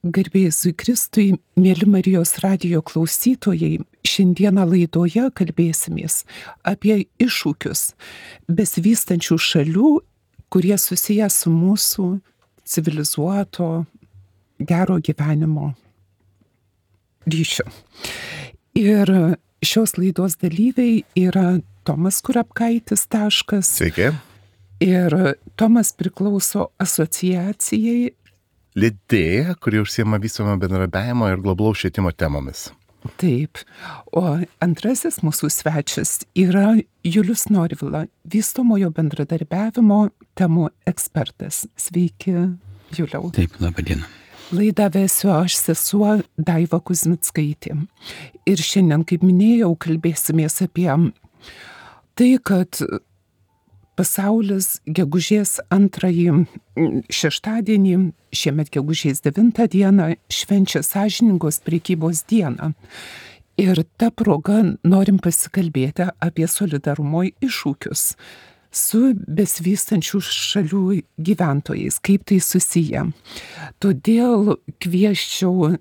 Garbėjai Kristui, mėly Marijos radijo klausytojai, šiandieną laidoje kalbėsimės apie iššūkius besivystančių šalių, kurie susiję su mūsų civilizuoto, gero gyvenimo ryšiu. Ir šios laidos dalyviai yra Tomas Kurapkaitis. Sveiki. Ir Tomas priklauso asociacijai Lidėja, kuri užsiema vystomo bendradarbiavimo ir globalaus švietimo temomis. Taip. O antrasis mūsų svečias yra Julius Norvila, vystomojo bendradarbiavimo temų ekspertas. Sveiki, Juliau. Taip, laba diena. Laidą vesiu aš, sesuo Daiva Kuzmickaitė. Ir šiandien, kaip minėjau, kalbėsimės apie tai, kad pasaulis gegužės 2 šeštadienį, šiemet gegužės 9 dieną, švenčia sąžiningos prekybos dieną. Ir ta proga norim pasikalbėti apie solidarumo iššūkius su besivystančių šalių gyventojais, kaip tai susiję. Todėl kviesčiau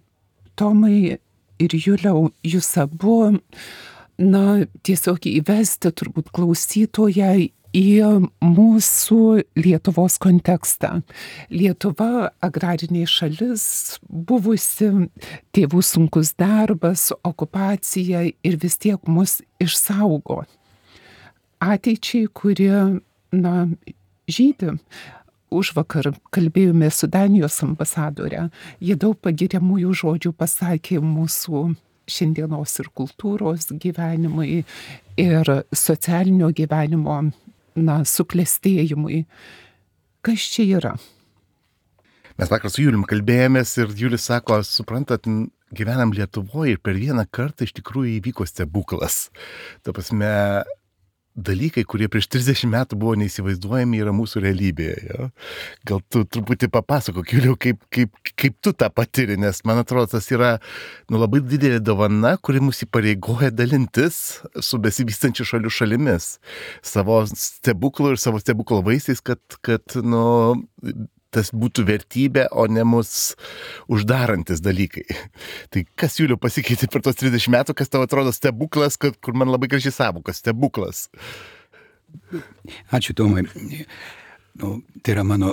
Tomai ir Juliau, jūs abu, tiesiog įvesti turbūt klausytoją į mūsų Lietuvos kontekstą. Lietuva agrarinė šalis, buvusi, tėvų sunkus darbas, okupacija ir vis tiek mus išsaugo. Ateičiai, kuri, žydi. Užvakar kalbėjome su Danijos ambasadore. Jie daug pagiriamųjų žodžių pasakė mūsų šiandienos ir kultūros gyvenimui ir socialinio gyvenimo suklestėjimui. Kas čia yra? Mes vakar su Julium kalbėjomės ir Julius sako, suprantat, gyvenam Lietuvoje ir per vieną kartą iš tikrųjų įvyko stebuklas. Ta prasme, dalykai, kurie prieš 30 metų buvo neįsivaizduojami, yra mūsų realybėje. Jo? Gal tu truputį papasakok, Juliau, kaip tu tą patiri, nes man atrodo, tas yra labai didelė dovana, kuri mus įpareigoja dalintis su besivystančių šalių šalimis. Savo stebuklo ir savo stebuklo vaisiais, kad tas būtų vertybė, o ne mus uždarantis dalykai. Tai kas, Juliau, pasikeitė per tos 30 metų, kas tau atrodo stebuklas, kur man labai gražiai sąvoka, stebuklas? Ačiū, Tomai. Tai yra mano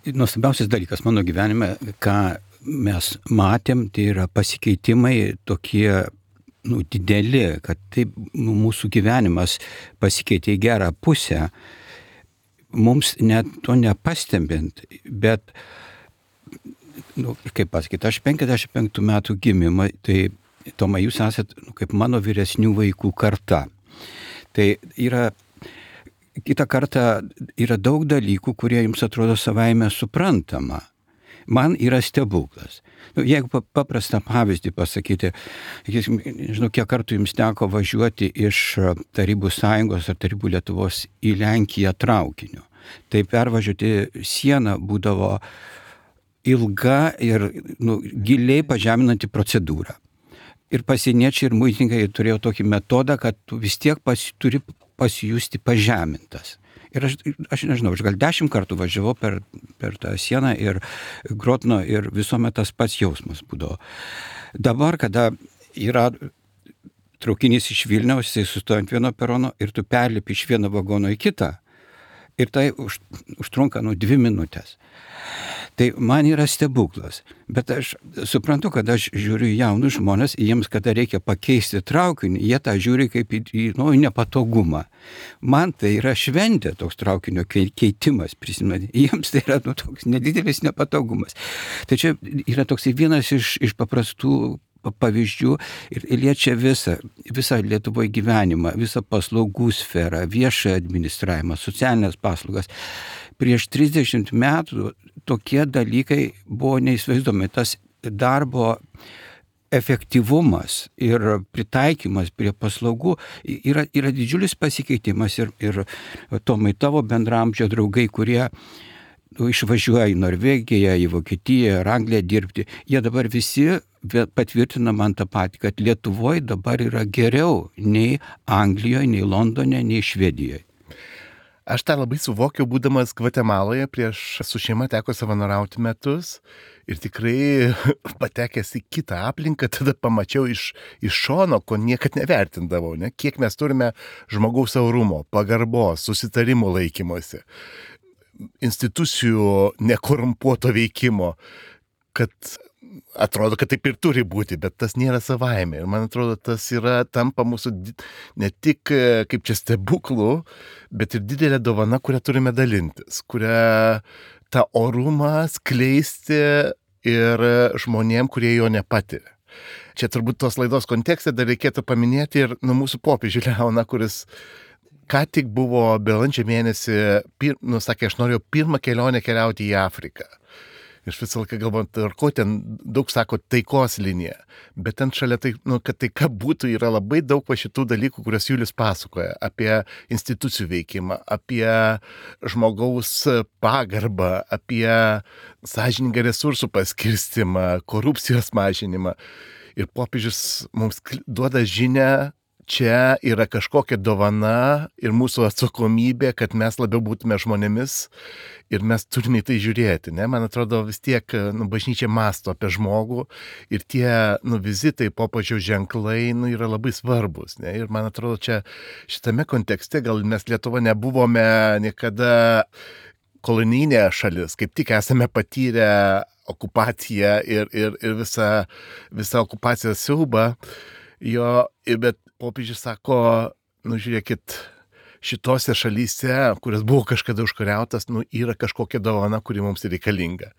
nuostabiausias dalykas mano gyvenime, ką mes matėm, tai yra pasikeitimai tokie dideli, kad taip mūsų gyvenimas pasikeitė į gerą pusę. Mums net to nepastebint, bet, kaip pasakyti, aš 55 metų gimimą, tai Toma, jūs esat kaip mano vyresnių vaikų karta. Tai yra, kitą kartą yra daug dalykų, kurie jums atrodo savaime suprantama. Man yra stebuklas. Jeigu paprastą pavyzdį pasakyti, nežinau, kiek kartų jums teko važiuoti iš Tarybų Sąjungos ar Tarybų Lietuvos į Lenkiją traukiniu. Tai pervažiuoti sieną būdavo ilga ir giliai pažeminanti procedūra. Ir pasieniečiai ir muitininkai turėjo tokį metodą, kad tu vis tiek turi pasijusti pažemintas. Ir aš nežinau, aš gal 10 kartų važiavau per tą sieną ir Grotno ir visuomet tas pats jausmas būdavo. Dabar, kada yra traukinys iš Vilniaus, jisai sustoja ant vieno perono ir tu perlipi iš vieno vagono į kitą. Ir tai užtrunka 2 minutės. Tai man yra stebuklas. Bet aš suprantu, kad aš žiūriu į jaunus žmonės, jiems kada reikia pakeisti traukinį, jie tą žiūri kaip į nepatogumą. Man tai yra šventė toks traukinio keitimas, prisimenu. Jiems tai yra toks nedidelis nepatogumas. Tai čia yra toks vienas iš paprastų pavyzdžių ir liečia visą Lietuvoje gyvenimą, visą paslaugų sferą, viešą administravimą, socialinės paslaugas. Prieš 30 metų tokie dalykai buvo neįsivaizduomi. Tas darbo efektyvumas ir pritaikymas prie paslaugų yra didžiulis pasikeitimas ir Tomai, tavo bendramžio draugai, kurie išvažiuoja į Norvegiją, į Vokietiją, ar Angliją dirbti, jie dabar visi patvirtina man tą patį, kad Lietuvoje dabar yra geriau nei Anglijoje, nei Londone, nei Švedijoje. Aš tą labai suvokiau, būdamas Gvatemaloje, su šeima teko savanoriauti metus ir tikrai patekęs į kitą aplinką, tada pamačiau iš šono, ko niekad nevertindavau, ne? Kiek mes turime žmogaus orumo, pagarbos, susitarimų laikymosi, institucijų nekorumpuoto veikimo, kad atrodo, kad taip ir turi būti, bet tas nėra savaime. Ir man atrodo, tas tampa mūsų ne tik kaip čia stebuklų, bet ir didelė dovana, kurią turime dalintis, kurią tą orumą skleisti ir žmonėm, kurie jo nepatiria. Čia turbūt tos laidos kontekste dar reikėtų paminėti ir mūsų popiežių Leoną, kuris ką tik buvo balandžio mėnesį, sakė, aš norėjau pirmą kelionę keliauti į Afriką. Iš visą laiką galvojant, ar ko ten daug sako taikos linija, bet ten šalia tai, kad taika būtų, yra labai daug šitų dalykų, kurias Julius pasakoja, apie institucijų veikimą, apie žmogaus pagarbą, apie sąžiningą resursų paskirstimą, korupcijos mažinimą. Ir popiežius mums duoda žinią, čia yra kažkokia dovana ir mūsų atsakomybė, kad mes labiau būtume žmonėmis ir mes turime į tai žiūrėti. Ne? Man atrodo, vis tiek bažnyčia mąsto apie žmogų ir tie vizitai, popiežiaus ženklai yra labai svarbus. Ne? Ir man atrodo, čia šitame kontekste gal mes Lietuva nebuvome niekada kolonijinė šalis, kaip tik esame patyrę okupaciją ir visą okupacijos siaubą. Bet popiežius sako, žiūrėkit, šitose šalyse, kurias buvo kažkada užkariautas, yra kažkokia dovana, kuri mums reikalinga.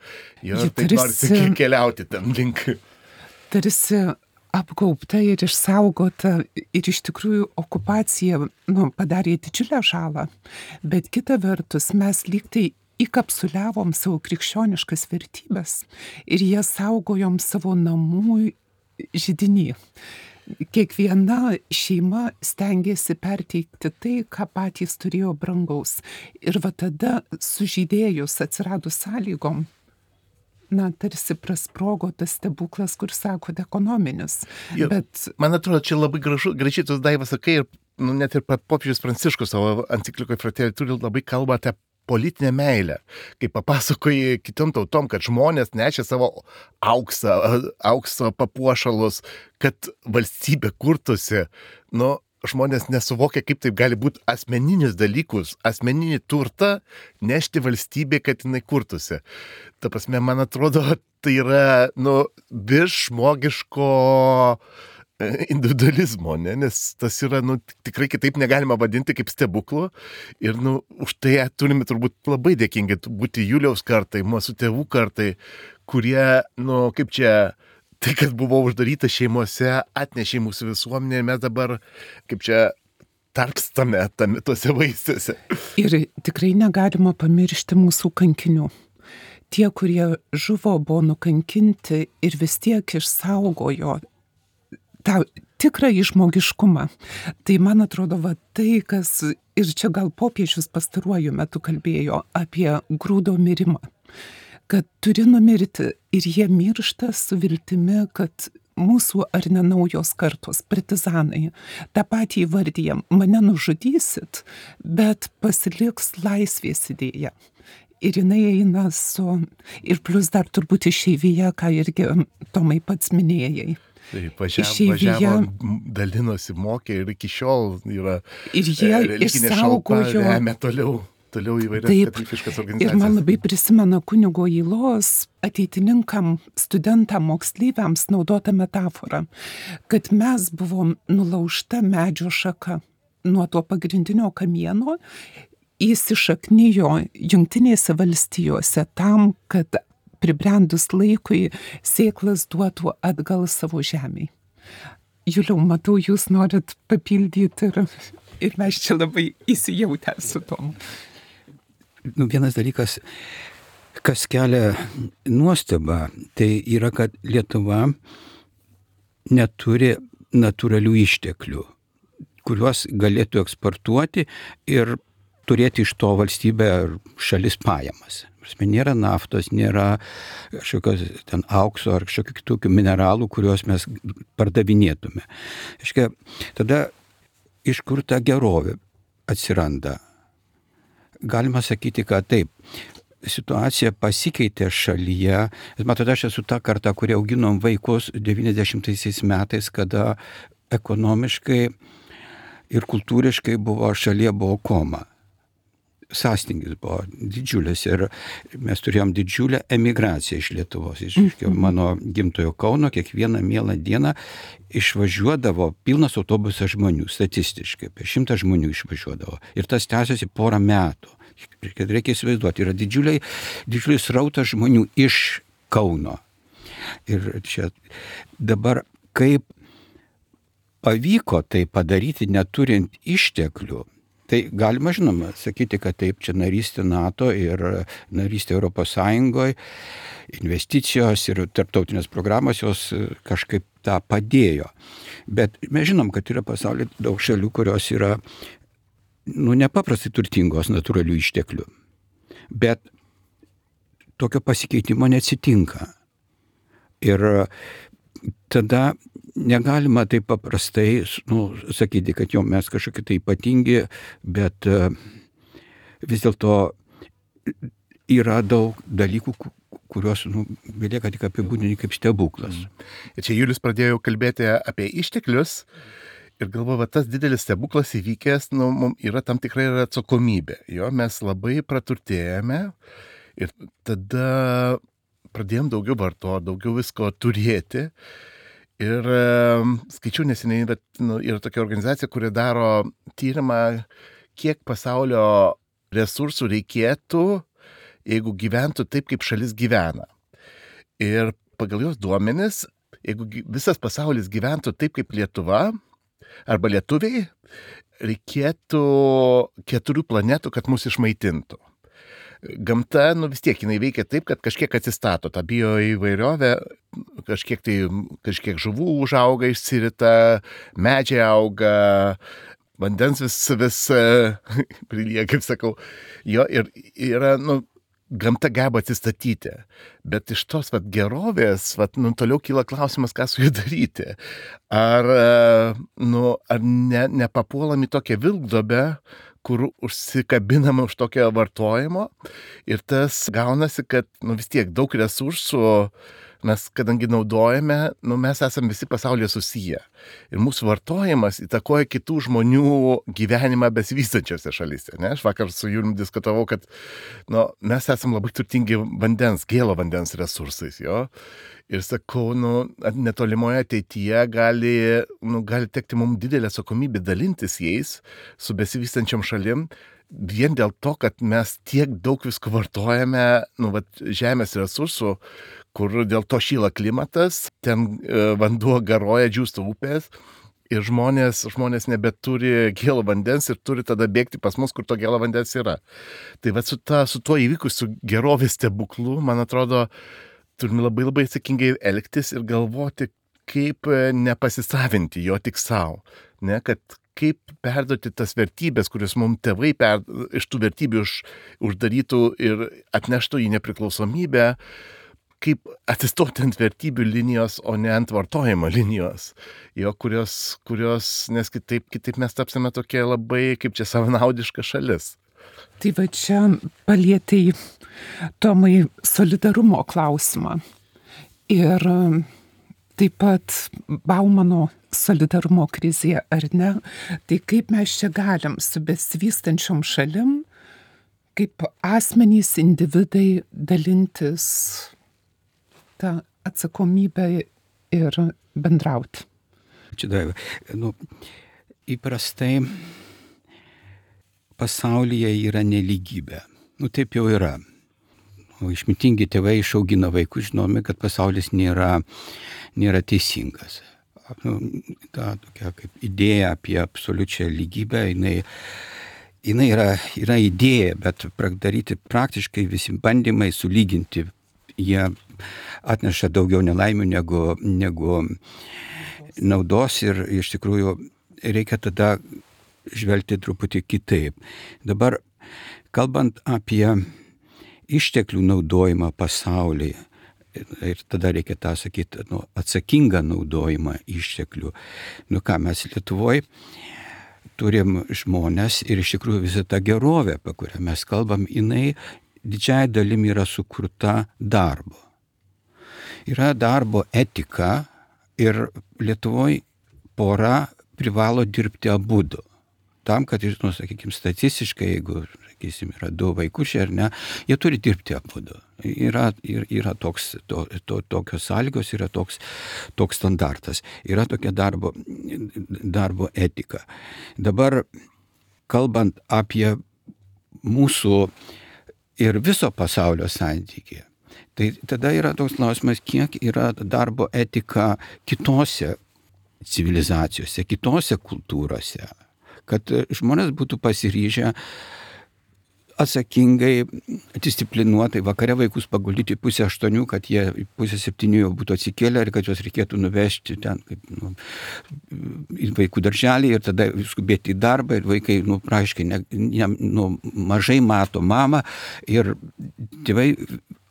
Ir taip norisi keliauti ten link. Tarsi apgaubta ir išsaugota ir iš tikrųjų okupacija padarė didžiulę žalą, bet kita vertus mes lyg tai įkapsuliavom savo krikščioniškas vertybės ir jas saugojom savo namų židiny. Kiekviena šeima stengiasi perteikti tai, ką patys turėjo brangaus. Ir tada sužydėjus atsiradus sąlygom, tarsi prasprogo tas stebuklas, kur sakote, ekonominis. Bet man atrodo, čia labai gražiai tos Daiva sakai, ir net ir popiežius Pranciškus savo enciklikoje Fratelli Tutti labai kalba apie politinę meilę, kai papasakoji kitom tautom, kad žmonės nešė savo aukso papuošalus, kad valstybė kurtųsi. Žmonės nesuvokia, kaip taip gali būti asmeninius dalykus, asmeninį turtą nešti valstybė, kad jinai kurtųsi. Ta prasme, man atrodo, tai yra virš žmogiško individualizmo, nes tas yra, tikrai kitaip negalima vadinti kaip stebuklų ir, už tai turime turbūt labai dėkingi būti Juliaus kartai, mūsų tėvų kartai, kurie, kaip čia, tai, kad buvo uždaryta šeimose, atnešė mūsų visuomenė ir mes dabar, kaip čia, tarpstame tuose vaisiuose. Ir tikrai negalima pamiršti mūsų kankinių. Tie, kurie žuvo, buvo nukankinti ir vis tiek išsaugojo tą tikrą žmogiškumą. Tai man atrodo, tai, kas, ir čia gal popiežius pastaruoju metu kalbėjo apie grūdo mirimą, kad turi numirti ir jie miršta su viltimi, kad mūsų ar ne naujos kartos partizanai tą patį įvardyja, mane nužudysit, bet pasiliks laisvės idėja. Ir jinai eina ir plus dar turbūt išeivija, ką irgi Tomai pats minėjai. Taip, važiavo, dalinosi, mokė ir iki šiol yra religinė šalpa, remia toliau įvairias katalikiškas organizacijas. Ir man labai prisimena kunigo Ylos ateitininkam, studentam, moksleiviams naudota metafora, kad mes buvom nulaužta medžio šaka nuo to pagrindinio kamieno, įsišaknijo Jungtinėse valstijose tam, kad pribrendus laikui sėklas duotų atgal savo žemei. Juliau, matau, jūs norit papildyti ir mes čia labai įsijautę su tom. Vienas dalykas, kas kelia nuostabą, tai yra, kad Lietuva neturi natūralių išteklių, kuriuos galėtų eksportuoti ir turėti iš to valstybė ar šalis pajamas. Nėra naftos, nėra kažkokios ten aukso ar kažkokių kitokių mineralų, kuriuos mes pardavinėtume. Tada iš kur ta gerovė atsiranda? galima sakyti, kad taip, situacija pasikeitė šalyje. Matote, aš esu ta karta, kurie auginom vaikus 90 metais, kada ekonomiškai ir kultūriškai šalyje buvo koma. Sąstingis buvo didžiulis ir mes turėjom didžiulę emigraciją iš Lietuvos. Iš mano gimtojo Kauno kiekvieną mielą dieną išvažiuodavo pilnas autobusas žmonių, statistiškai, apie 100 žmonių išvažiuodavo. Ir tas tęsiasi porą metų. Reikia įsivaizduoti, yra didžiulis srautas žmonių iš Kauno. Ir čia dabar kaip pavyko tai padaryti neturint išteklių, tai galima, žinoma, sakyti, kad taip, čia narystė NATO ir narystė Europos Sąjungoje, investicijos ir tarptautinės programos jos kažkaip tą padėjo. Bet mes žinom, kad yra pasaulyje daug šalių, kurios yra nepaprastai turtingos natūralių išteklių. Bet tokio pasikeitimo neatsitinka. Ir tada negalima taip paprastai sakyti, kad jau mes kažkokie tai ypatingi, bet vis dėlto yra daug dalykų, kuriuos belieka tik apibūdinti kaip stebuklas. Ir čia Julius pradėjo kalbėti apie išteklius ir galvoju, tas didelis stebuklas įvykęs, yra tam tikrai yra atsakomybė. Jo, mes labai praturtėjame ir tada pradėjom daugiau vartoti, daugiau visko turėti. Ir skaičiau neseniai, bet yra tokia organizacija, kuri daro tyrimą, kiek pasaulio resursų reikėtų, jeigu gyventų taip, kaip šalis gyvena. Ir pagal jos duomenis, jeigu visas pasaulis gyventų taip, kaip Lietuva, arba lietuviai, reikėtų 4 planetų, kad mus išmaitintų. Gamta, vis tiek jinai veikia taip, kad kažkiek atsistato, ta bioįvairovė, kažkiek žuvų užauga, išsirita, medžiai auga, vandens vis prilyja, kaip sakau. Jo, ir yra, gamta geba atsistatyti, bet iš tos gerovės, toliau kyla klausimas, ką su jų daryti. Ar nepapuolam į tokią vilkduobę, kur užsikabinama už tokio vartojimo ir tas gaunasi, kad vis tiek daug resursų mes, kadangi naudojame, mes esame visi pasaulyje susiję. Ir mūsų vartojimas įtakoja kitų žmonių gyvenimą besivystančiose šalyse. Ne? Aš vakar su Julium diskutavau, kad mes esame labai turtingi gėlo vandens resursais. Jo? Ir sakau, netolimoje ateityje gali tekti mums didelė atsakomybė dalintis jais su besivystančiom šalim, vien dėl to, kad mes tiek daug visko vartojame, žemės resursų, kur dėl to šyla klimatas, ten vanduo garoja, džiūsta upės ir žmonės nebeturi gėlo vandens ir turi tada bėgti pas mus, kur to gėlo vandens yra. Tai su tuo įvykusiu gerovės stebuklu, man atrodo, turime labai labai atsakingai elgtis ir galvoti, kaip nepasisavinti jo tik savo. Kad kaip perduoti tas vertybės, kurias mums tėvai iš tų vertybių uždarytų ir atneštų į nepriklausomybę, kaip atsistoti ant vertybių linijos, o ne ant vartojimo linijos, kurios nes kitaip mes tapsime tokie labai, kaip čia savanaudiška šalis. Tai va čia palietei, Tomai, solidarumo klausimą. Ir taip pat Baumano solidarumo krizė, ar ne? Tai kaip mes čia galim su besivystančiom šalim, kaip asmenys, individai dalintis tą atsakomybę ir bendrauti? Čia Daiva, įprastai pasaulyje yra nelygybė. Taip jau yra. Išmintingi tėvai išaugina vaikus, žinome, kad pasaulis nėra teisingas. Ta tokia kaip idėja apie absoliučią lygybę, jinai yra idėja, bet daryti praktiškai visi bandymai sulyginti, jie atneša daugiau nelaimių negu naudos ir iš tikrųjų reikia tada žvelgti truputį kitaip. Dabar, kalbant apie išteklių naudojimą pasaulyje, ir tada reikia tą sakyti, atsakingą naudojimą išteklių. Mes Lietuvoje turim žmonės ir iš tikrųjų visa ta gerovė, apie kurią mes kalbam, jinai didžiai dalim yra sukurta darbo. Yra darbo etika ir Lietuvoje pora privalo dirbti abudu. Tam, kad, sakykime, statistiškai, jeigu, sakysim, yra 2 vaikučiai ar ne, jie turi dirbti abudu. Yra tokios sąlygos, yra toks standartas. Yra tokia darbo etika. Dabar, kalbant apie mūsų ir viso pasaulio santykį, tai tada yra toks klausimas, kiek yra darbo etika kitose civilizacijose, kitose kultūrose, kad žmonės būtų pasiryžę atsakingai, disciplinuotai vakare vaikus paguldyti 7:30, kad jie 6:30 jau būtų atsikėlę ir kad juos reikėtų nuvežti ten į vaikų darželį ir tada skubėti į darbą ir vaikai, praaiškiai, mažai mato mamą ir tėvai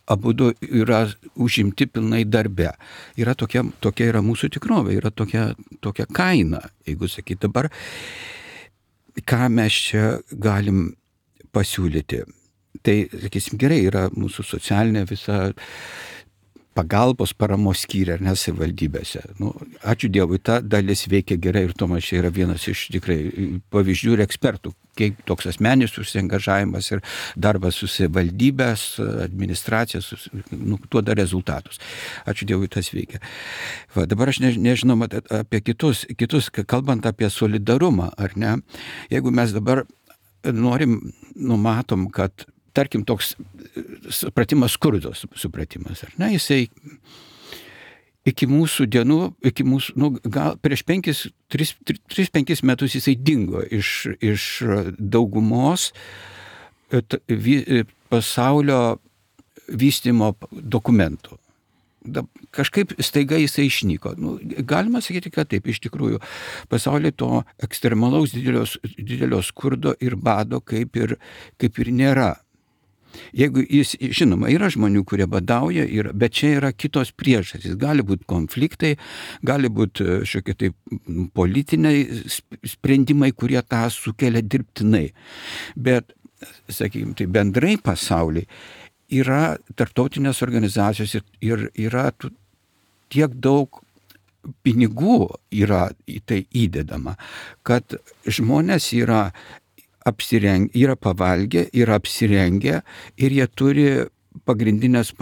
abudu yra užimti pilnai darbe. Yra tokia yra mūsų tikrovė, yra tokia kaina, jeigu sakyti dabar, ką mes čia galim pasiūlyti. Tai, sakysim, gerai, yra mūsų socialinė visa pagalbos paramos skyriai, ar ne, savivaldybėse. Ačiū Dievui, ta dalis veikia gerai ir Tomas čia yra vienas iš tikrai pavyzdžių ir ekspertų, kiek toks asmeninis užsiangažavimas ir darbas su savivaldybės, administracija, duoda rezultatus. Ačiū Dievui, tas veikia. Dabar aš nežinau apie kitus, kalbant apie solidarumą, ar ne, jeigu mes dabar numatom, kad tarkim, toks supratimas, skurdo supratimas, ar ne, jisai iki mūsų dienų, gal prieš 3-5 metus jisai dingo iš daugumos pasaulio vystymo dokumentų. Kažkaip staiga jisai išnyko. Galima sakyti, kad taip, iš tikrųjų, pasaulyje to ekstremalaus didelio skurdo ir bado kaip ir nėra. Jeigu žinoma, yra žmonių, kurie badauja, bet čia yra kitos priežastys. Gali būti konfliktai, gali būti šiokie tai politiniai sprendimai, kurie tą sukelia dirbtinai. Bet, sakykime, tai bendrai pasaulyje yra tarptautinės organizacijos ir yra tiek daug pinigų yra į tai įdedama, kad žmonės yra pavalgę, yra apsirengę ir jie turi pagrindinės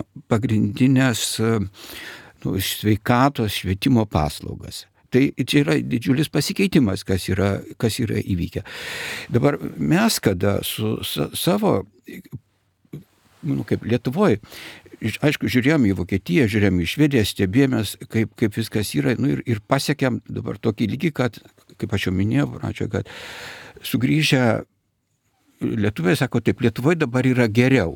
sveikatos, švietimo paslaugas. Tai čia yra didžiulis pasikeitimas, kas yra įvykę. Dabar mes, kada su savo, kaip Lietuvoje, aišku, žiūrėjom į Vokietiją, žiūrėjom į Švediją, stebėjomės, kaip viskas yra, ir pasiekėm dabar tokį lygį, kad, kaip aš jau minėjau, kad sugrįžę lietuviai sako, taip, Lietuvoje dabar yra geriau.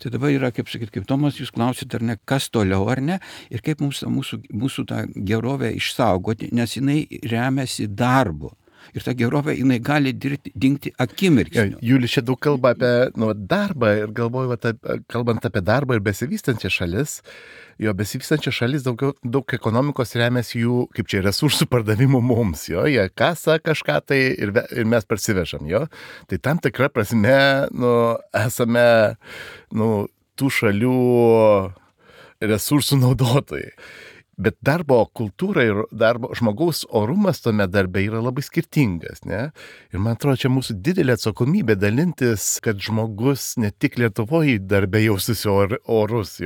Tai dabar yra, kaip Tomas, jūs klausite, ar ne, kas toliau, ar ne, ir kaip mūsų tą gerovę išsaugoti, nes jinai remiasi darbu. Ir ta gerovė, jinai gali dingti akimirksniu. Julius čia daug kalba apie darbą ir galvoju, kalbant apie darbą ir besivystančią šalis, besivystančią šalis daug ekonomikos remiasi jų, kaip čia, resursų pardavimu mums, jie kasa kažką tai ir mes parsivežam, Tai tam tikra prasme, esame, tų šalių resursų naudotojai. Bet darbo kultūra ir žmogaus orumas tome darbe yra labai skirtingas, ne? Ir man atrodo, čia mūsų didelė atsakomybė dalintis, kad žmogus ne tik Lietuvoje darbe jaustųsi orus,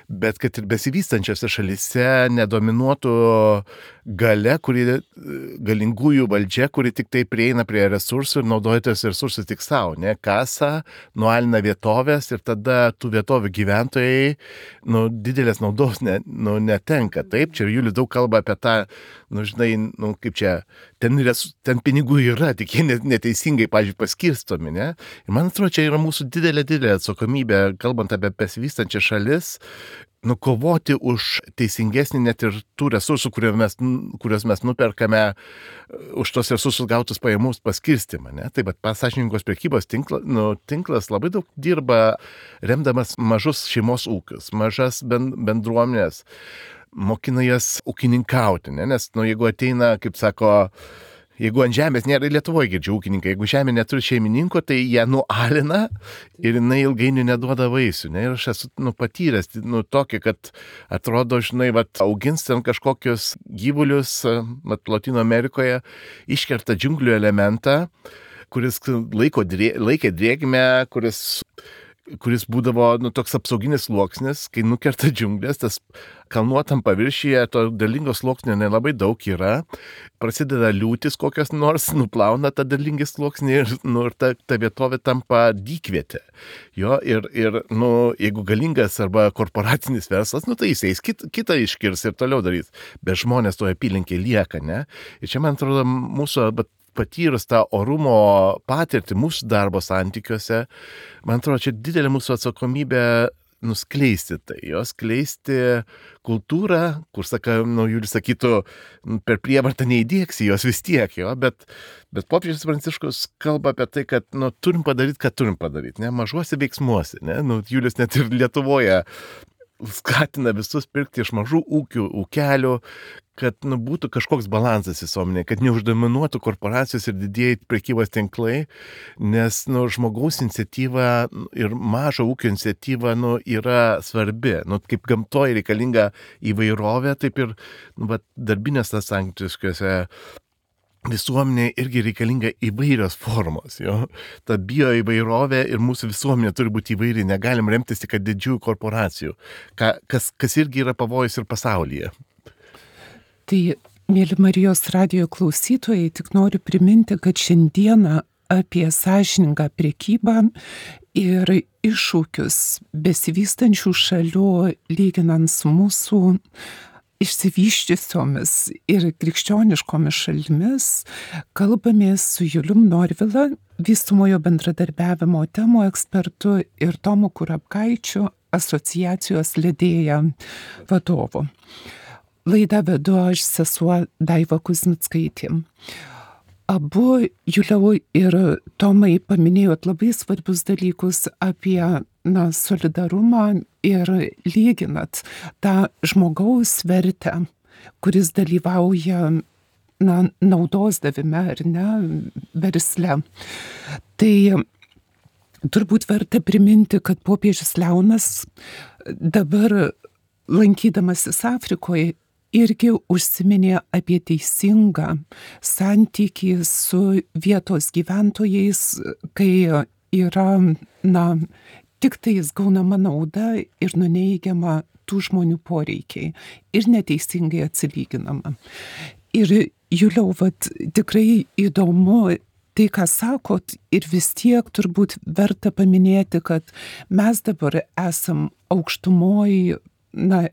bet kad ir besivystančiose šalyse nedominuotų galingųjų valdžia, kuri tik tai prieina prie resursų ir naudoja tos resursus tik savo, ne? Kasa, nualina vietovės ir tada tų vietovių gyventojai didelės naudos netenka. Taip, čia Julius daug kalba apie tą, kaip čia, ten pinigų yra, tik jie neteisingai, pavyzdžiui, paskirstomi, ne? Ir man atrodo, čia yra mūsų didelė atsakomybė, kalbant apie besivystančias šalis, kovoti už teisingesnį net ir tų resursų, kuriuos mes nuperkame, už tos resursus gautus pajamus paskirstymą, ne? Taip, bet sąžiningos prekybos tinklas labai daug dirba, remdamas mažus šeimos ūkius, mažas bendruomenės, mokina jas ūkininkauti, ne? Nes, jeigu ateina, kaip sako, Jeigu ant žemės nėra, Lietuvoje girdžiu ūkininkai, jeigu žemė neturi šeimininko, tai ją nualina ir jinai ilgainiui neduoda vaisių. Ne? Ir aš esu patyręs tokį, kad atrodo, žinai, augins ten kažkokius gyvulius, Latino Amerikoje, iškerta džiunglių elementą, kuris laikė drėgmę, kuris būdavo toks apsauginis sluoksnis, kai nukerta džiunglės, tas kalnuotam paviršyje to derlingo sluoksnio nelabai daug yra, prasideda liūtis kokios nors, nuplauna tą derlingį sluoksnį ir ta vietovė tampa dykvietė. Jo, ir jeigu galingas arba korporacinis verslas, tai jis eis kitą iškirs ir toliau darys, bet žmonės toje apylinkėje lieka, ne? Ir čia, man atrodo, mūsų patyrus tą orumo patirtį mūsų darbo santykiuose, man atrodo, čia didelė mūsų atsakomybė nuskleisti tai, skleisti kultūrą, kur, Julius sakytų, per prievartą neįdėksi jos vis tiek, bet popiežius Pranciškus kalba apie tai, kad turim padaryti, ką turim padaryti, ne, mažuose veiksmuose, ne, Julius net ir Lietuvoje skatina visus pirkti iš mažų ūkelių, kad būtų kažkoks balansas visuomenėje, kad neuždominuotų korporacijos ir didieji prekybos tinklai, nes žmogaus iniciatyva ir mažo ūkio iniciatyva yra svarbi. Kaip gamtoje reikalinga įvairovė, taip ir darbinės santykiuose visuomenė irgi reikalinga įvairios formos. Jo? Ta bio įvairovė ir mūsų visuomenė turi būti įvairi, negalim remtis tik didžiųjų korporacijų, kas irgi yra pavojus ir pasaulyje. Tai, mėly Marijos radijo klausytojai, tik noriu priminti, kad šiandieną apie sąžiningą prekybą ir iššūkius besivystančių šalių lyginant su mūsų išsivyščiusiomis ir krikščioniškomis šalimis kalbamės su Julium Norvila, vystumojo bendradarbiavimo temų ekspertu, ir Tomu Kurapkaičiu, asociacijos Ledėja vadovu. Laidą vedu aš, sesuo Daiva Kuzmickaitė. Abu, Juliau ir Tomai, paminėjot labai svarbius dalykus apie solidarumą ir lyginat tą žmogaus vertę, kuris dalyvauja naudos davime ar ne, versle. Tai turbūt verta priminti, kad popiežius Leonas dabar, lankydamasis Afrikoje, irgi užsiminė apie teisingą santykį su vietos gyventojais, kai yra, tik tais gaunama nauda ir nuneigiama tų žmonių poreikiai ir neteisingai atsilyginama. Ir Juliau, tikrai įdomu tai, ką sakot, ir vis tiek turbūt verta paminėti, kad mes dabar esam aukštumoj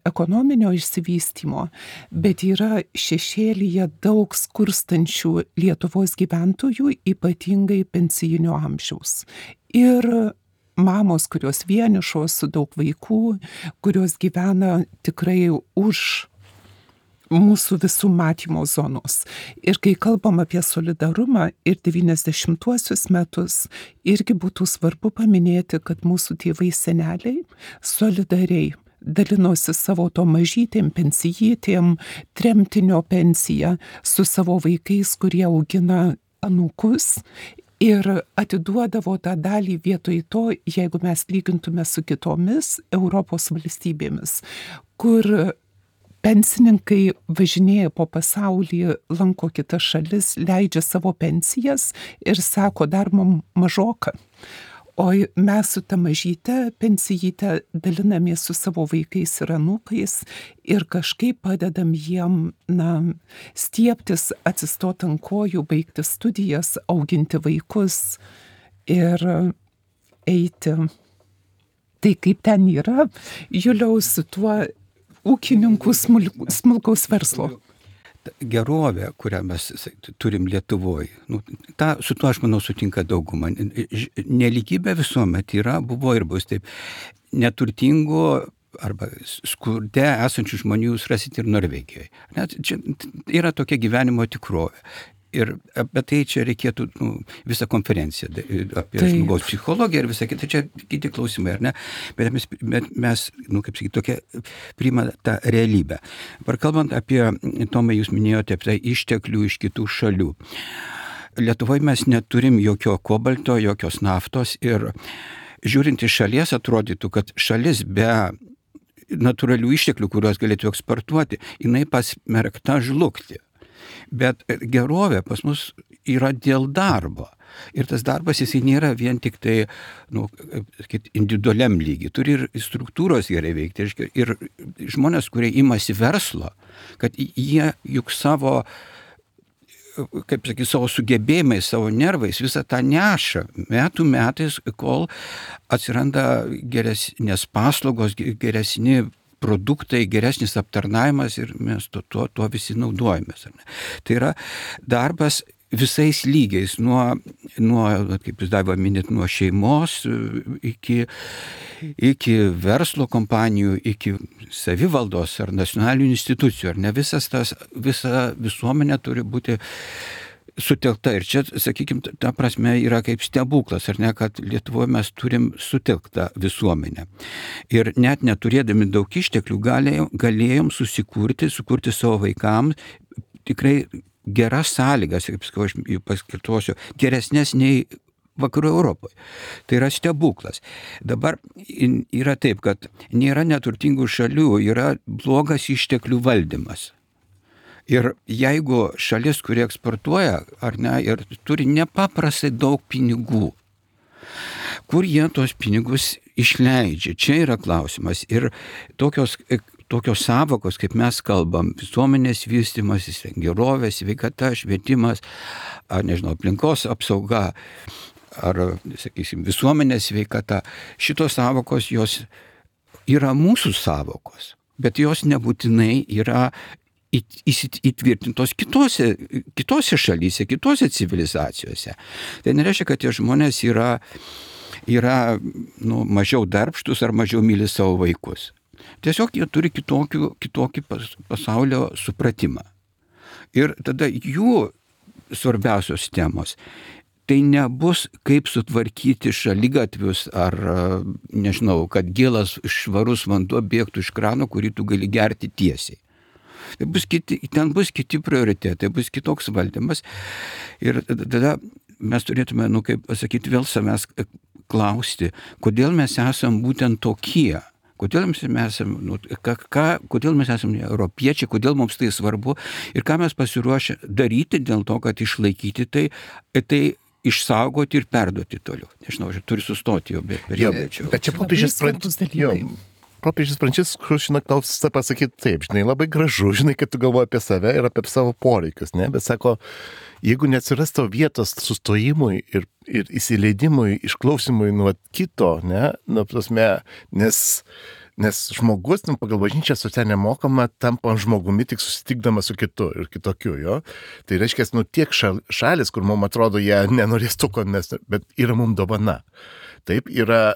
ekonominio išsivystymo, bet yra šešėlyje daug skurstančių Lietuvos gyventojų, ypatingai pensijinio amžiaus. Ir mamos, kurios vienišos su daug vaikų, kurios gyvena tikrai už mūsų visų matymo zonos. Ir kai kalbam apie solidarumą ir 90-uosius metus, irgi būtų svarbu paminėti, kad mūsų tėvai seneliai solidariai dalinosi savo to mažytėm pensijytėm, tremtinio pensiją su savo vaikais, kurie augina anūkus, ir atiduodavo tą dalį vietoj to, jeigu mes lygintume su kitomis Europos valstybėmis, kur pensininkai važinėja po pasaulį, lanko kitas šalis, leidžia savo pensijas ir sako, dar mum mažoka. O mes su ta mažyte pensijyte dalinamės su savo vaikais ir anūkais ir kažkaip padedam jiem stiebtis, atsistot ant kojų, baigti studijas, auginti vaikus ir eiti. Tai kaip ten yra, Juliau, su tuo ūkininkų smulkaus verslo? Gerovė, kurią mes turim Lietuvoje, su tuo, aš manau, sutinka dauguma. Neligybė visuomet buvo ir bus taip. Neturtingų arba skurde esančių žmonių jūs rasit ir Norvegijoje. Čia yra tokia gyvenimo tikrovė. Ir apie tai čia reikėtų visą konferenciją apie žmogaus psichologiją ir visą kitą, čia kiti klausimai, ar ne? Bet mes kaip sakyti, tokia priima tą realybę. Dabar kalbant apie, Tomai, jūs minėjote apie tai išteklių iš kitų šalių. Lietuvoje mes neturim jokio kobalto, jokios naftos ir žiūrint iš šalies atrodytų, kad šalis be natūralių išteklių, kuriuos galėtų eksportuoti, jinai pasmerkta žlugti. Bet gerovė pas mus yra dėl darbo. Ir tas darbas jisai nėra vien tik tai individualiam lygiai. Turi ir struktūros gerai veikti. Ir žmonės, kurie imasi verslo, kad jie juk savo sugebėjimais, savo nervais visą tą neša metų metais, kol atsiranda geresnės paslaugos, geresni produktai, geresnis aptarnavimas ir mes tuo visi naudojamės. Tai yra darbas visais lygiais, nuo kaip jūs Daiva minit, nuo šeimos iki verslo kompanijų, iki savivaldos ar nacionalinių institucijų. Ar ne visa visuomenė turi būti sutelkta. Ir čia, sakykime, ta prasme yra kaip stebuklas, ar ne, kad Lietuvoje mes turim sutelktą visuomenę. Ir net neturėdami daug išteklių galėjom sukurti savo vaikams tikrai geras sąlygas, kaip sakau, aš jų paskirtuosiu, geresnės nei Vakarų Europoje. Tai yra stebuklas. Dabar yra taip, kad nėra neturtingų šalių, yra blogas išteklių valdymas. Ir jeigu šalis, kuri eksportuoja, ar ne, ir turi nepaprastai daug pinigų, kur jie tos pinigus išleidžia, čia yra klausimas. Ir tokios savokos, kaip mes kalbam, visuomenės vystymasis, gerovė, sveikata, švietimas, ar nežinau, aplinkos apsauga, ar, sakysim, visuomenės sveikata, šitos savokos jos yra mūsų savokos, bet jos nebūtinai yra įtvirtintos kitose šalyse, kitose civilizacijose. Tai nereiškia, kad tie žmonės yra mažiau darbštus ar mažiau myli savo vaikus. Tiesiog jie turi kitokį pasaulio supratimą. Ir tada jų svarbiausios temos tai nebus kaip sutvarkyti šaligatvius ar, nežinau, kad gėlas švarus vanduo bėgtų iš krano, kurį tu gali gerti tiesiai. Ten bus kiti prioritetai, bus kitoks valdymas. Ir tada mes turėtume, kaip pasakyti, vėl savęs klausti, kodėl mes esam būtent tokie. Kodėl mes esame europiečiai, kodėl mums tai svarbu ir ką mes pasiruošę daryti dėl to, kad išlaikyti tai išsaugoti ir perduoti toliau. Nežinau, aš turiu sustoti jau, bet čia Popiežius Pranciškus, klausia pasakyti taip, labai gražu, kad tu galvoji apie save ir apie savo poreikius, ne? Bet sako, jeigu neatsiras tavo vietos sustojimui ir įsileidimui, išklausimui nuo kito, ne? Nes žmogus, pagal bažnyčią socialinę mokamą, tampa žmogumi tik susitikdamas su kitu ir kitokiu, jo. Tai reiškia, tiek šalis, kur mums atrodo, jie nenorės to, bet yra mums dovana. Taip, yra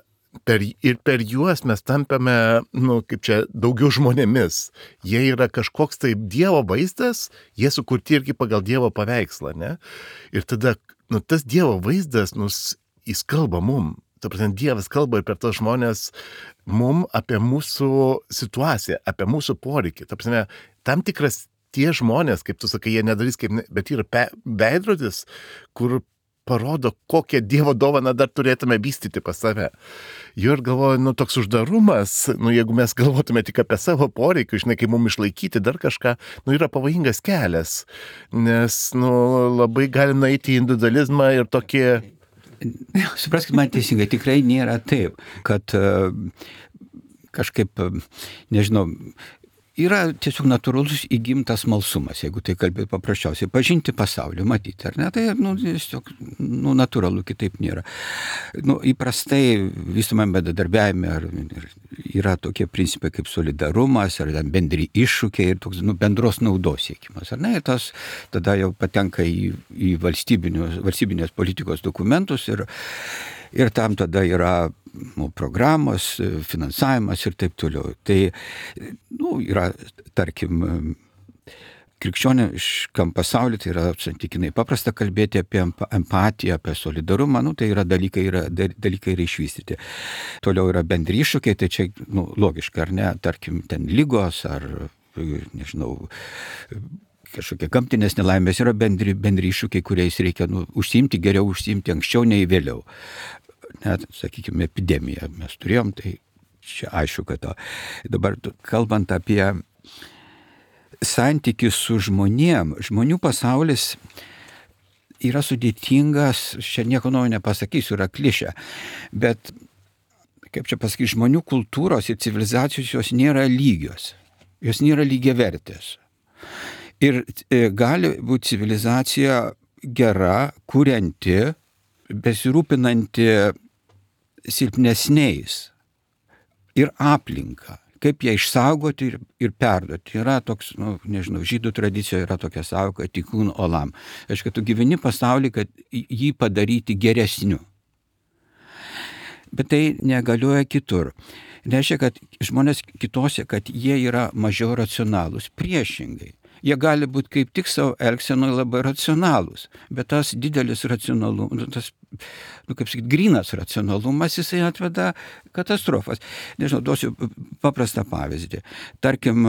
per juos mes tampame, daugiau žmonėmis. Jie yra kažkoks taip Dievo vaizdas, jie sukurti irgi pagal Dievo paveikslą, ne? Ir tada, tas Dievo vaizdas, jis kalba mum. Ta prasme, Dievas kalba ir per tos žmonės mum apie mūsų situaciją, apie mūsų poreikį. Ta prasme, tam tikras tie žmonės, kaip tu sakai, jie nedarys, bet yra veidrodis, kur parodo, kokią Dievo dovaną dar turėtume vystyti pas save. Jo ir galvoju, toks uždarumas, jeigu mes galvotume tik apie savo poreikių, kaip mums išlaikyti dar kažką, yra pavojingas kelias, nes, labai gali nueiti į individualizmą ir tokie... Supraskite man teisingai, tikrai nėra taip, kad kažkaip, nežinau, yra tiesiog natūralus įgimtas smalsumas, jeigu tai kalbėti paprasčiausiai, pažinti pasaulį, matyti, ar ne, tai tiesiog natūralu, kitaip nėra. Įprastai visumame bendradarbiavime yra tokie principai kaip solidarumas, ar bendri iššūkiai ir toks bendros naudos siekimas, ar ne, ir tas tada jau patenka į valstybinės politikos dokumentus ir tam tada yra programos, finansavimas ir taip toliau. Tai, yra, tarkim, krikščioniškam pasauliu tai yra santykinai paprasta kalbėti apie empatiją, apie solidarumą, tai yra dalykai yra išvystyti. Toliau yra bendri iššūkiai, tai čia logiška, ar ne, tarkim, ten lygos ar, nežinau, kažkokie gamtinės nelaimės yra bendri iššūkiai, kuriais reikia geriau užsiimti anksčiau nei vėliau. Net, sakykime, epidemiją mes turėjom, tai čia aišku, kad dabar kalbant apie santykis su žmonių pasaulis yra sudėtingas, čia nieko naujo nepasakysiu, yra klišė, bet, kaip čia pasakyti, žmonių kultūros ir civilizacijos jos nėra lygios, jos nėra lygiavertės. Ir gali būti civilizacija gera, kurianti, besirūpinanti silpnesniais ir aplinka. Kaip ją išsaugoti ir perduoti. Yra toks, žydų tradicijoje yra tokia sąvoka tikun olam. Aišku, tu gyveni pasaulį, kad jį padaryti geresniu. Bet tai negalioja kitur. Reiškia, kad žmonės kitose, kad jie yra mažiau racionalūs. Priešingai. Jie gali būti kaip tik savo elgsenoje labai racionalūs, bet tas didelis racionalumas, tas, kaip sakyti, grynas racionalumas, jisai atveda katastrofas. Nežinau, duosiu paprastą pavyzdį. Tarkim,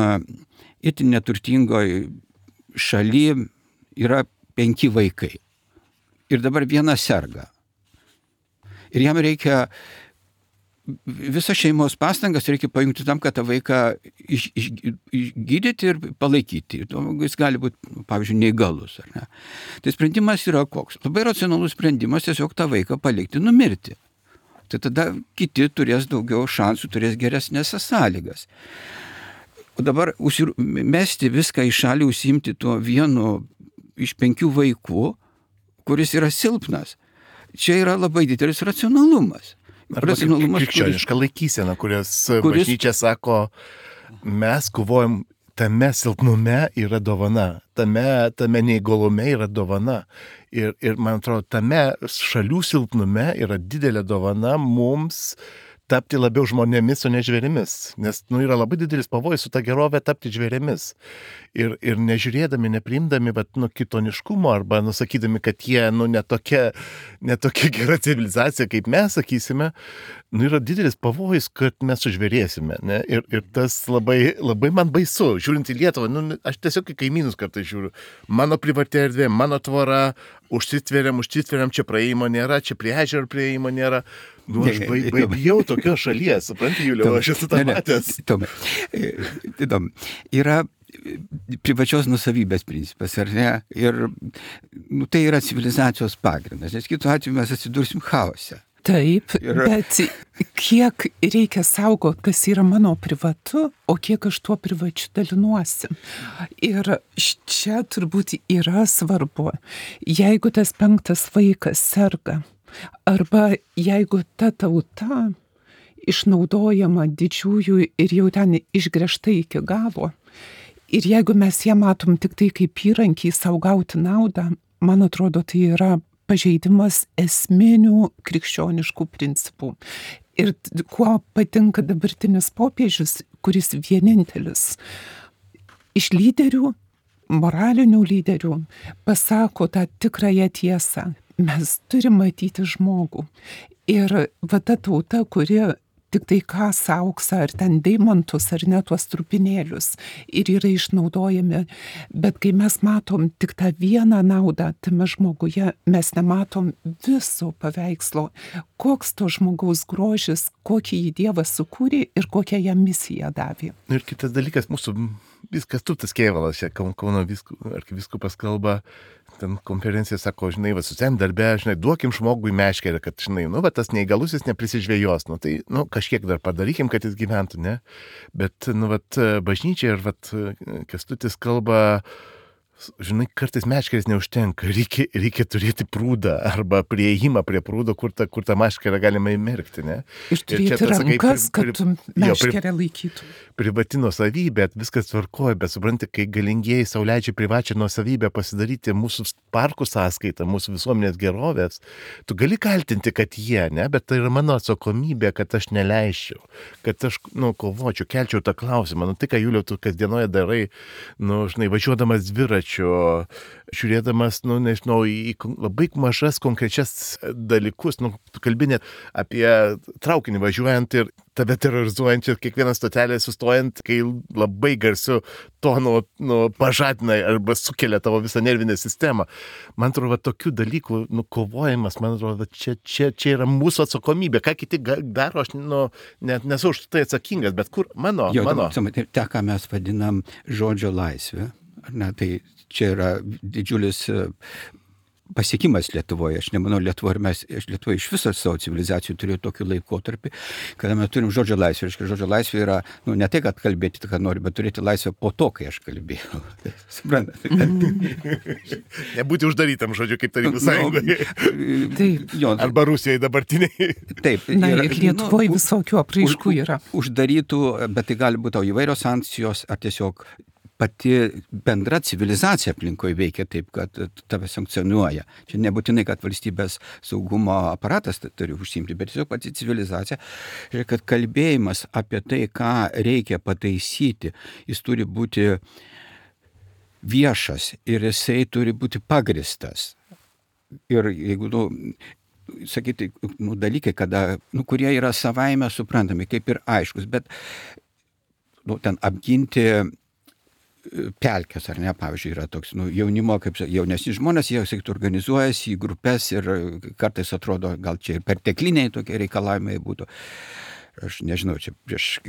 itin neturtingoj šaly yra 5 vaikai ir dabar vienas serga. Ir jam reikia visą šeimos pastangas reikia pajungti tam, kad tą vaiką išgydyti ir palaikyti. Jis gali būti, pavyzdžiui, neįgalus, ar ne? Tai sprendimas yra koks? Labai racionalus sprendimas tiesiog tą vaiką palikti numirti. Tai tada kiti turės daugiau šansų, turės geresnės sąlygas. O dabar mesti viską į šalį, užsiimti tuo vienu iš 5 vaikų, kuris yra silpnas. Čia yra labai didelis racionalumas. Arba krikščioniška laikysena, kuris bažnyčia sako, mes kovojam, tame silpnume yra dovana, tame neįgalume yra dovana. Ir man atrodo, tame šalių silpnume yra didelė dovana mums tapti labiau žmonėmis, o ne žvėrimis. Nes yra labai didelis pavojus su ta gerovė tapti žvėrimis. Ir nežiūrėdami, nepriimdami kitoniškumo arba sakydami, kad jie netokia gera civilizacija, kaip mes sakysime, yra didelis pavojus, kad mes sužvėrėsime. Ne? Ir tas labai, labai man baisu. Žiūrint į Lietuvą, aš tiesiog į kaimynus kartais žiūriu. Mano privati erdvė, mano tvora, užsitveriam, čia praėjimo nėra, čia prie ežero praėjimo nėra. Aš bijau tokios šalies, supranti, Juliau, aš esu tą matęs. Yra privačios nusavybės principas, ar ne? Ir tai yra civilizacijos pagrindas, nes kitu atveju mes atsidursim chaose. Taip, bet kiek reikia saugoti, kas yra mano privatu, o kiek aš tuo privačiu dalinuosi. Ir čia turbūt yra svarbu, jeigu tas 5 vaikas serga, arba jeigu ta tauta išnaudojama didžiųjų ir jau ten išgręžta iki galo, ir jeigu mes ją matom tik tai kaip įrankį sau gauti naudą, man atrodo, tai yra pažeidimas esminių krikščioniškų principų. Ir kuo patinka dabartinis popiežius, kuris vienintelis iš lyderių, moralinių lyderių, pasako tą tikrąją tiesą. Mes turime matyti žmogų. Ir ta tauta, kuri tik tai ką sauks, ar ten deimantus, ar ne tuos trupinėlius, ir yra išnaudojami. Bet kai mes matom tik tą vieną naudą tame žmoguje, mes nematom viso paveikslo, koks to žmogaus grožis, kokį jį Dievas sukūrė ir kokią jam misiją davė. Ir kitas dalykas, mūsų viskas Tutas Kėvalas, čia Kauno arkivyskupas kalba, ten konferencija sako, socialiniam darbe, duokim žmogui meškerę, kad, tas neįgalusis neprisižvėjos, tai, kažkiek dar padarykim, kad jis gyventų, ne? Bet, bažnyčia ir, Kęstutis kalba, žinai, kartais meškerės neužtenka, reikia turėti prūdą arba prieėjimą prie prūdo, kur tą meškerę galima įmerkti, ne? Ir turėti rankas, kad meškerę laikytų. Privati nuosavybė, viskas tvarkoja, bet supranti, kai galingieji sau leidžia privačią nuosavybę pasidaryti mūsų parkų sąskaitą, mūsų visuomenės gerovės, tu gali kaltinti, kad jie, ne, bet tai yra mano atsakomybė, kad aš neleisčiau, kad aš, kovočiau, kelčiau tą klausimą, tai ką, Juliau, tu kasdienoje darai, žinai, važiuodamas dviračiu, žiūrėdamas, nežinau, į labai mažas konkrečias dalykus, tu kalbi net apie traukinį važiuojant ir tave terrorizuojančią kiekvieną stotelę sustojant, kai labai garsiu tonu pažadina arba sukelia tavo visą nervinę sistemą. Man atrodo, tokių dalykų kovojimas, man atrodo, čia yra mūsų atsakomybė. Ką kiti daro, aš net nesu už tai atsakingas, bet kur mano. Ta, ką mes vadinam žodžio laisvė, tai čia yra didžiulis pasiekimas Lietuvoje. Aš nemanau, Lietuvoje iš viso savo civilizacijų turėjo tokį laikotarpį, kada mes turim žodžio laisvę. Reiškia, žodžio laisvė yra, ne tai, kad kalbėti, ką nori, bet turėti laisvę po to, kai aš kalbėjau. Suprantate? Nebūti uždarytam, žodžiu, kaip Tarybų Sąjungoje. Taip. Arba Rusijoje dabartiniai. Taip. Ir Lietuvoje visokių apraiškų yra. Uždarytų, bet tai gali būti įvairios sankcijos, ar tiesiog pati bendra civilizacija aplinkoje veikia taip, kad tave sankcionuoja. Čia nebūtinai, kad valstybės saugumo aparatas turi užsiimti, bet tiesiog pati civilizacija. Ir kad kalbėjimas apie tai, ką reikia pataisyti, jis turi būti viešas ir jisai turi būti pagristas. Ir jeigu, sakyti, dalykai, kurie yra savaime suprantami, kaip ir aiškus, bet ten apginti pelkės, ar ne, pavyzdžiui, yra toks, jaunimo, kaip jaunesni žmonės, jie, sakytų, organizuojasi į grupės ir kartais atrodo, gal čia ir pertekliniai tokie reikalavimai būtų. Aš nežinau, čia prieš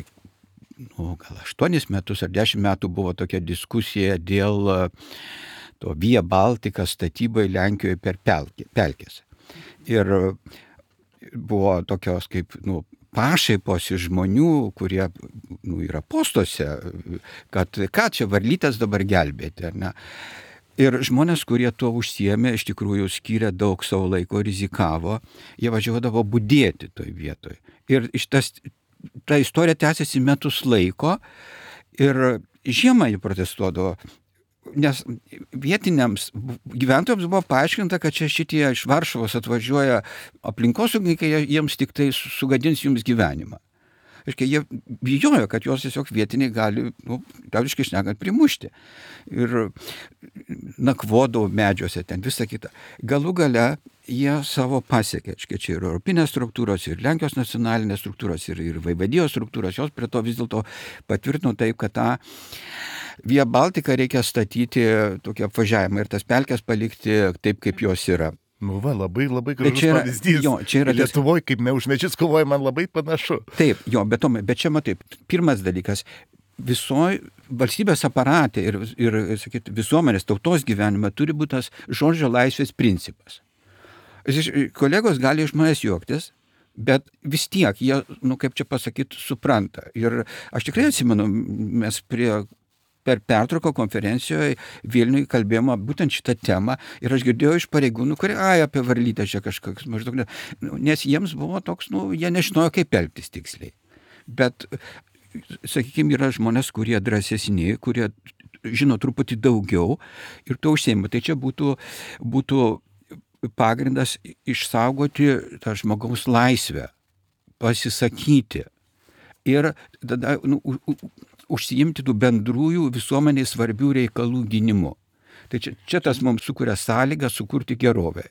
gal 8 metus ar 10 metų buvo tokia diskusija dėl to Via Baltica statybai Lenkijoje per pelkės. Ir buvo tokios kaip, pašaipos iš žmonių, kurie yra postuose, kad ką čia varlytės dabar gelbėti, ar ne? Ir žmonės, kurie tuo užsiėmė, iš tikrųjų skyrė daug savo laiko, rizikavo, jie važiuodavo budėti toj vietoj. Ir ta istorija tęsiasi metus laiko ir žiemą jie protestuodavo. Nes vietiniams gyventojams buvo paaiškinta, kad čia šitie iš Varšuvos atvažiuoja aplinkosaugininkai, jiems tik tai sugadins jums gyvenimą. Reiškia, jie bijojo, kad juos tiesiog vietiniai gali, liaudiškai šnekant, primušti. Ir nakvodavo medžiuose ten, visą kitą. Galų gale jie savo pasiekė. Čia ir europinės struktūros, ir Lenkijos nacionalinės struktūros, ir vaivadijos struktūros, jos prie to vis dėlto patvirtino taip, kad tą Via Baltica reikia statyti tokį apvažiavimą ir tas pelkės palikti taip, kaip jos yra. Labai gražus pavyzdys. Lietuvoje, kaip už medžius kovoja, man labai panašu. Taip, bet čia matai, pirmas dalykas, visoje valstybės aparate ir sakyt, visuomenės tautos gyvenime turi būti tas žodžio laisvės principas. Kolegos gali iš manęs juoktis, bet vis tiek jie, kaip čia pasakyti, supranta. Ir aš tikrai atsimenu, mes per pertrauką konferencijoje Vilniuje kalbėjome būtent šitą temą ir aš girdėjau iš pareigūnų, kurie, apie varlytę čia kažkoks maždaug, nes jiems buvo toks, jie nežinojo, kaip elgtis tiksliai. Bet, sakykime, yra žmonės, kurie drąsesni, kurie žino truputį daugiau ir to užsiima. Tai čia būtų pagrindas išsaugoti tą žmogaus laisvę, pasisakyti ir tada užsiimti tų bendrųjų visuomeniai svarbių reikalų gynimu. Tai čia tas mums sukuria sąlygą sukurti gerovę.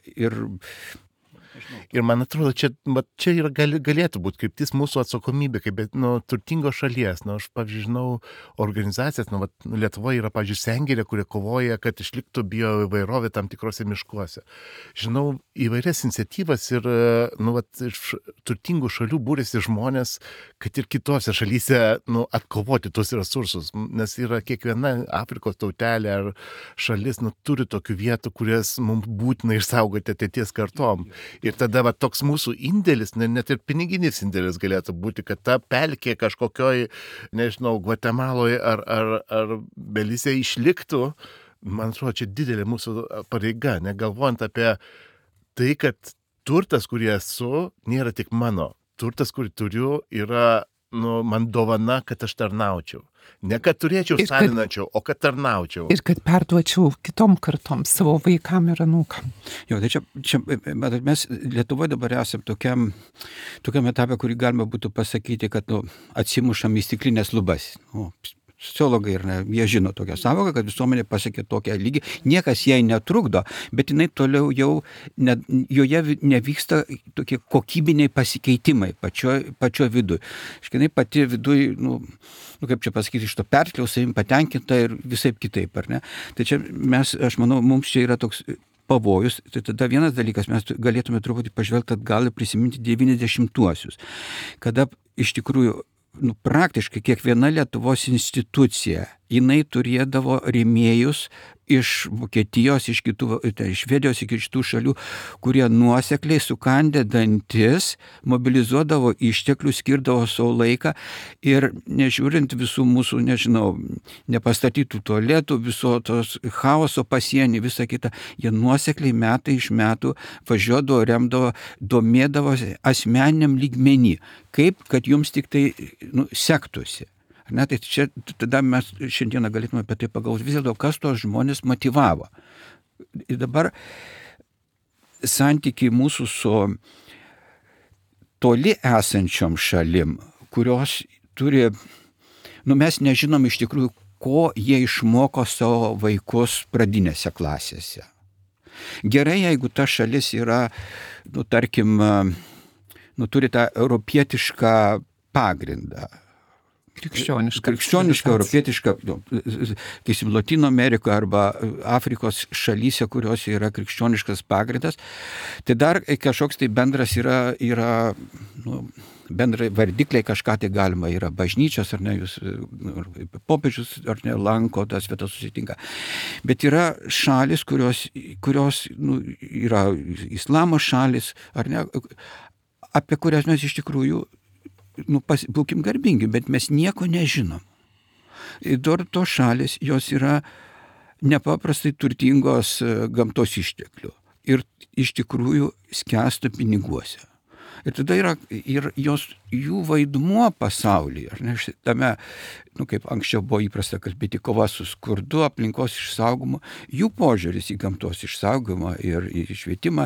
Ir man atrodo, čia yra galėtų būti kryptis mūsų atsakomybė, kaip turtingos šalies. Aš, pavyzdžiui, žinau organizacijas, Lietuvoje yra, pavyzdžiui, Sengirė, kurie kovoja, kad išliktų bioįvairovė tam tikrose miškuose. Žinau įvairias iniciatyvas ir iš turtingų šalių būrėsi žmonės, kad ir kitose šalyse atkovoti tos resursus, nes yra kiekviena Afrikos tautelė ar šalis turi tokių vietų, kurias mums būtina išsaugoti ateities kartom. Ir tada toks mūsų indėlis, net ir piniginis indėlis galėtų būti, kad ta pelkė kažkokioj, nežinau, Gvatemaloje ar Belize išliktų, man atrodo, čia didelė mūsų pareiga, negalvojant apie tai, kad turtas, kurį esu, nėra tik mano. Turtas, kurį turiu, yra man dovana, kad aš tarnaučiau. Ne kad turėčiau savinančiau, o kad tarnaučiau. Ir kad perduočiau kitom kartom, savo vaikam ir anūkam. Jo, tai čia mes Lietuvoje dabar esame tokiam etapė, kurį galima būtų pasakyti, kad atsimušam į stiklinės lubas. Sociologai jie žino tokią savoką, kad visuomenė pasiekė tokią lygį, niekas jai netrukdo, bet jinai toliau joje nevyksta tokie kokybiniai pasikeitimai pačio viduje. Jinai pati viduje, kaip čia pasakyti, iš to perkliaus, savim patenkinta ir visaip kitaip, ar ne? Tai čia aš manau, mums čia yra toks pavojus. Tai tada vienas dalykas, mes galėtume truputį pažvelgti atgal ir prisiminti 90-uosius, kada iš tikrųjų praktiškai kiekviena Lietuvos institucija, jinai turėdavo rėmėjus iš Vokietijos, iš Švedijos, iš kitų šalių, kurie nuosekliai sukandę dantis, mobilizuodavo išteklius, skirdavo savo laiką ir nežiūrint visų mūsų, nepastatytų tualetų, viso tos chaoso pasienį, visą kitą, jie nuosekliai metai iš metų važiuodavo, remdavo, domėdavosi asmeniniam lygmenį, kaip kad jums tik tai sektųsi. Tai čia tada mes šiandieną galėtume apie tai pagalvoti, vis dėlto, kas tos žmonės motyvavo. Ir dabar santykiai mūsų su toli esančiom šalim, kurios turi, mes nežinom iš tikrųjų, ko jie išmoko savo vaikus pradinėse klasėse. Gerai, jeigu ta šalis yra, tarkim, turi tą europietišką pagrindą. Krikščioniška, europietiška, Latino Amerikoje arba Afrikos šalyse, kurios yra krikščioniškas pagrindas, tai dar kažkoks tai bendras yra bendrai vardikliai kažką tai galima, yra bažnyčios, ar ne, jūs popiežius, ar ne, lanko, tas vietas susitinka. Bet yra šalis, kurios yra islamo šalis, ar ne, apie kurias mes iš tikrųjų būkim garbingi, bet mes nieko nežinom. Ir tos šalis, jos yra nepaprastai turtingos gamtos išteklių ir iš tikrųjų skęsta piniguose. Ir tada yra ir jų vaidmuo pasaulyje, ar ne, tame, kaip anksčiau buvo įprasta kalbėti, kova su skurdu, aplinkos išsaugomu, jų požiūris į gamtos išsaugomą ir į švietimą,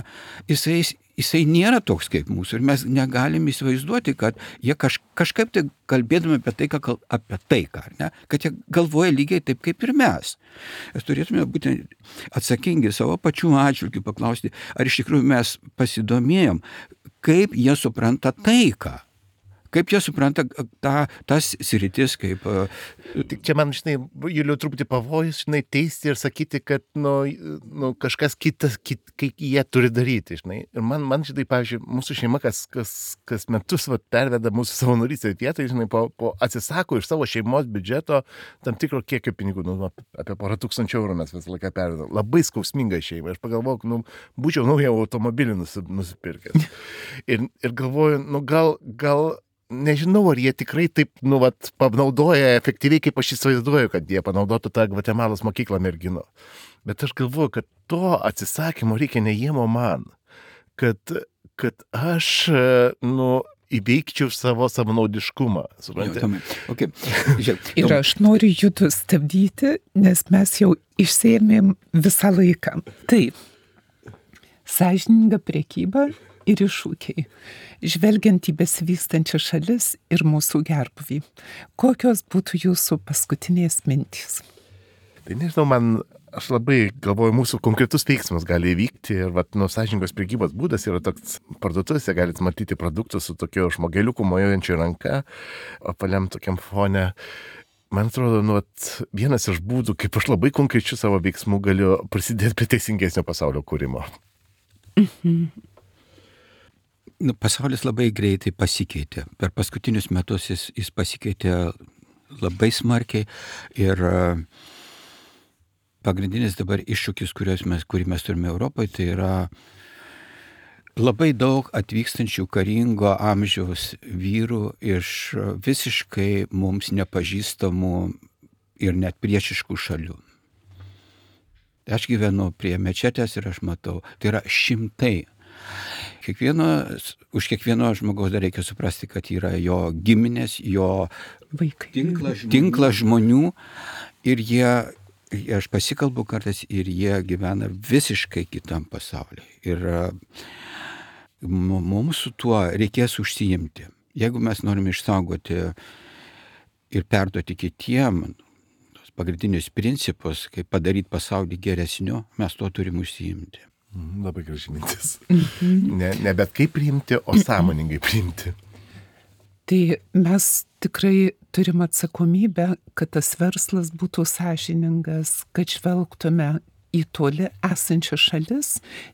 jisai nėra toks kaip mūsų ir mes negalim įsivaizduoti, kad jie kažkaip tai kalbėdami apie taiką, ar ne, kad jie galvoja lygiai taip kaip ir mes. Mes turėtume būti atsakingi savo pačių atžvilgių paklausti, ar iš tikrųjų mes pasidomėjom, kaip jie supranta taiką. Kaip jie supranta tas sritis, kaip... Tik čia man, Juliau, truputį pavojus, teisti ir sakyti, kad kažkas kitas, kaip jie turi daryti, Ir man pavyzdžiui, mūsų šeima kas metus perveda mūsų savanorystės vietą, atsisako iš savo šeimos biudžeto tam tikro kiekio pinigų, apie 1,000 eurų mes visą laiką pervedam. Labai skausminga šeima. Aš pagalvojau, būčiau naują automobilį nusipirkęs. Ir galvoju, gal nežinau, ar jie tikrai taip, panaudoja efektyviai, kaip aš įsivaizduoju, kad jie panaudotų tą Gvatemalos mokyklą mergino. Bet aš galvoju, kad to atsisakymo reikia ne jiem, o man. Kad aš, įveikčiau savo savanaudiškumą. Okay. Ir aš noriu jūsų stabdyti, nes mes jau išsėmėm visą laiką. Taip, sąžininga prekyba ir iššūkiai, žvelgiant į besivystančią šalis ir mūsų gerbuvį. Kokios būtų jūsų paskutinės mintys? Tai nežinau, aš labai galvoju, mūsų konkretus veiksmas gali įvykti ir sąžiningos prekybos būdas yra toks, parduotuvėse galite matyti produktus su tokiu žmogeliuku mojuojančiu ranka, apvaliam tokiam fone. Man atrodo, vienas iš būdų, kaip aš labai konkrečiu savo veiksmu galiu prisidėti prie teisingesnio pasaulio kūrimo. Pasaulis labai greitai pasikeitė. Per paskutinius metus jis pasikeitė labai smarkiai ir pagrindinis dabar iššūkis, kurį mes turime Europoje, tai yra labai daug atvykstančių karingo amžiaus vyrų iš visiškai mums nepažįstamų ir net priešiškų šalių. Aš gyvenu prie mečetės ir aš matau, tai yra šimtai. Už kiekvieno žmogaus dar reikia suprasti, kad yra jo giminės, jo Vaikai. tinklas žmonių ir aš pasikalbu kartais ir jie gyvena visiškai kitam pasaulyje. Ir mums su tuo reikės užsiimti. Jeigu mes norime išsaugoti ir perduoti kitiem tos pagrindinius principus, kaip padaryti pasaulį geresniu, mes tuo turim užsiimti. Labai graži mintis. Ne bet kaip priimti, o sąmoningai priimti. Tai mes tikrai turim atsakomybę, kad tas verslas būtų sąžiningas, kad žvelgtume į toli esančias šalis,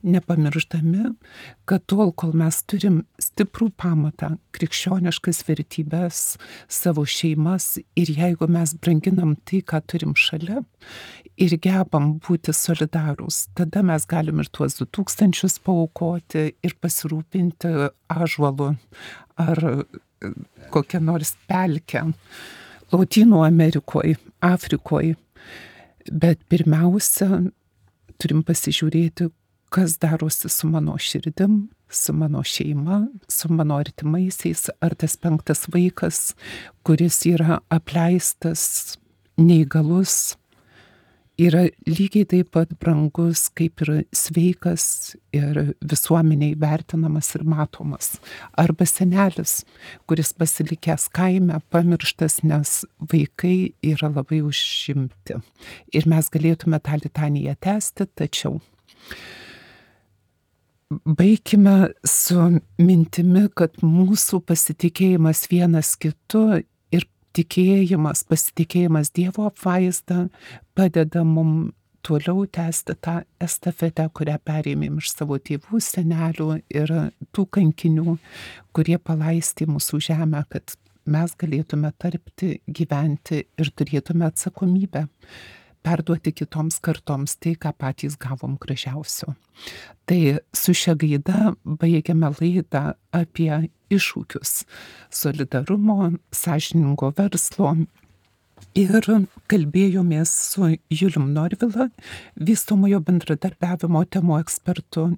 nepamirždami, kad tol, kol mes turim stiprų pamatą, krikščioniškas vertybės, savo šeimas ir jeigu mes branginam tai, ką turim šalia ir gebam būti solidarūs, tada mes galim ir tuos 2000 paaukoti ir pasirūpinti ąžuolu ar kokią nors pelkę Lotynų Amerikoje, Afrikoje. Bet pirmiausia, turim pasižiūrėti, kas darosi su mano širdim, su mano šeima, su mano artimaisiais, ar tas 5 vaikas, kuris yra apleistas, neįgalus, yra lygiai taip pat brangus, kaip ir sveikas ir visuomeniai vertinamas ir matomas. Arba senelis, kuris pasilikęs kaime, pamirštas, nes vaikai yra labai užimti. Ir mes galėtume tą litaniją tęsti, tačiau baikime su mintimi, kad mūsų pasitikėjimas vienas kitu ir tikėjimas, pasitikėjimas Dievo apvaizda padeda mums toliau tęsti tą estafetę, kurią perėmėm iš savo tėvų, senelių ir tų kankinių, kurie palaistė mūsų žemę, kad mes galėtume tarpti, gyventi ir turėtume atsakomybę perduoti kitoms kartoms tai, ką patys gavom gražiausio. Tai su šia gaida baigiame laidą apie iššūkius solidarumo, sąžiningo verslo ir kalbėjomės su Julium Norvila, vystomojo bendradarbiavimo temų ekspertu,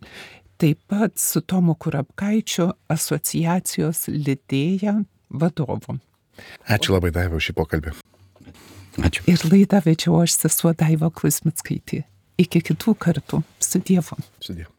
taip pat su Tomu Kurapkaičiu, asociacijos Lidėja vadovu. Ačiū labai, Daiva, už šį pokalbį. Ačiū. Ir laidą vedžiau aš, sesuo Daiva Kuzmickaitė. Iki kitų kartų. Su Dievu. Su Dievu.